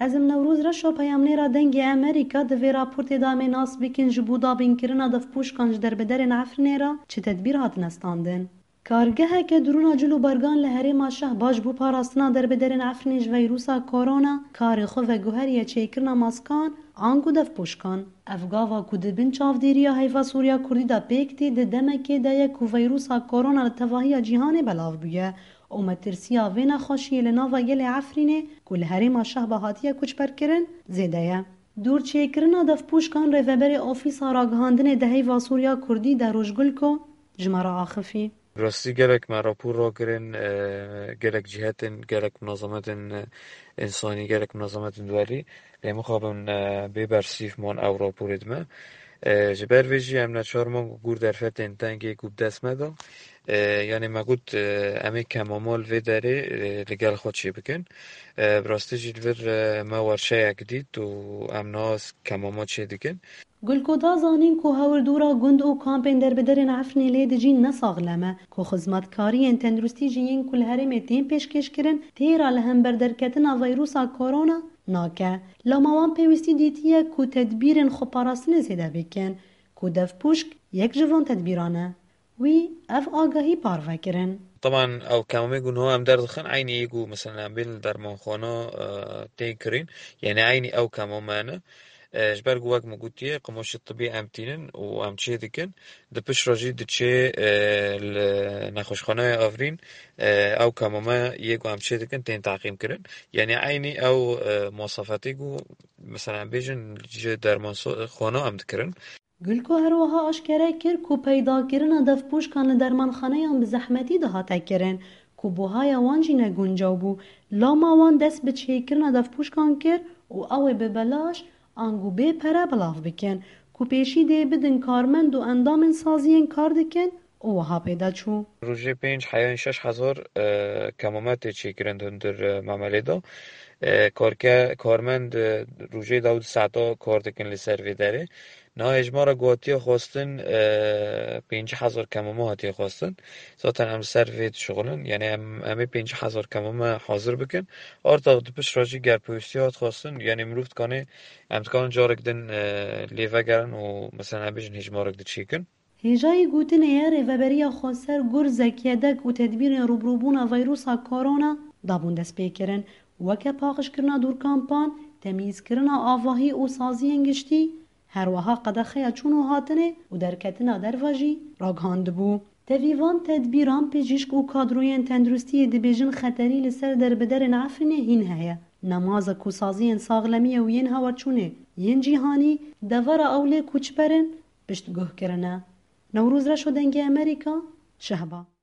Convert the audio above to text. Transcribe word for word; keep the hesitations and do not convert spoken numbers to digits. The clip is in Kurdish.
Ez im Newroz Reşo, peyamnêra Dengê Amerîka. Di vê raportê de em ê nas bikin ji bo dabînkirina devpûşkan ji derbedarên Efrînê re çi tedbîr hatine standin. Kargeheke dirûna cil û bergan li herêma Şehba ji bo parastina derbedarên Efrînê ji vîrusa korona karê xwe veguheriye çêkirina maskan ango devpûşkan. Ev gava ku di bin çavdêriya Heyva Sûriya Kurdî de pêk tê, di demekê de ye ku vîrusa korona li tevahiya cîhanê belav bûye û metirsiya vê nexweşiyê li nava gelê Efrînê ku li herêma Şehba hatiye koçberkirin zêde ye. Dûrçêkirina devpûşkan rêveberê Ofîsa Ragihandinê di Heyva Sûriya Kurdî Deroş Gulko ji me re axifî. Bi rastî gelek me rapor rakirin, e, gelek cîhetên, gelek munazemetên, e, însanî, gelek munazemetên duwelî, lê mixabin, e, bê bersîv man ew raporê dime. E, ji ber vê jî em neçar man ku gor derfetên tengê ku bi dest me de, e, yanê me got, e, em ê kemama li vê derê, e, li gel xwe çê bikin. E, bi rastî jî li vir, e, me werşeyek dît û em niha kemama çê dikin. Gulko da zanîn ku hawirdora gund û kampên derbedarên Efrînê lê dijîn ne saxlem e, ku xizmetkariyên tenduristî jî yên ku li herêmê tên pêşkêşkirin têra li hember derketina vîrusa korona nake. Loma wan pêwîstî dîtiye ku tedbîrên xweparastinê zêde bikin, ku devpûşk yek ji van tedbîran e. Wî ev agahî parve kirin. Teban ew kemamê ku niha em derdixin, eynî yê ku mesela em bên li dermanxana, e, tên kirîn, yanî eynî ew kemame ne. E, ji ber ku wek min gotiye, qimoşê tibî em tînin û em çê dikin. Di pişt re jî diçê, e, li nexweşxaneya Efrîn, e, ew kemame yê ku em çê dikin tên teqîm kirin. Yanî eynî ew, e, mosafetê ku mesela em bêjin ji dermanxana em dikirin. Gulko her wiha aşkere kir ku peydakirina devpûşkan li dermanxaneyan bi zehmetî dihate kirin, ku buhaya wan jî ne guncaw bû. Loma wan dest bi çêkirina devpûşkan kir û ew ê bi belaş ango bê pere belav bikin, ku pêşî dê bidin karmend û endamên saziyên kar dikin û wiha pê de çû. Rojê pênc heyan şeş hezar, e, kemame tê çêkirin di hundir, e, memelê de. E, karke-, karmend, e, rojê dawî saeta kar dikin li ser vê derê. Niha hejmara ku hatiye xwestin, e, pêncî hezar kemame hatiye xwestin. Zaten em li ser vê dişixulin. Yanî em, em ê pêncî hezar kemame hazir bikin. Arta di pişt re jî ger pêwîstî hat xwestin, yanî mirov dikanê, em dikarin carek din, e, lê vegerin û mesela em bêjin hejmarek diçêkin. Hêjayî gotinê ye, Rêveberiya Xweser Gurzek, Yedek û tedbîrên rûbirûbûna vîrusa korona dabûn destpêkirin, weke paqijkirina dûrkampan, temyîzkirina avahî û saziyên giştî, her wiha qedexeya çûn û hatinê û derketina derve jî ragihandibû. Tevî van tedbîran pijîşk û kadroyên tenduristiyê dibêjin xeterî li ser derbiderên Efrînê hîn heye. Nemaze ku saziyên saxlemiyê û yên hawerçûnê yên cîhanî devera ew lê koçber in, piştguh kirine. Newroz Reşo, Dengê Amerîka, Şehba.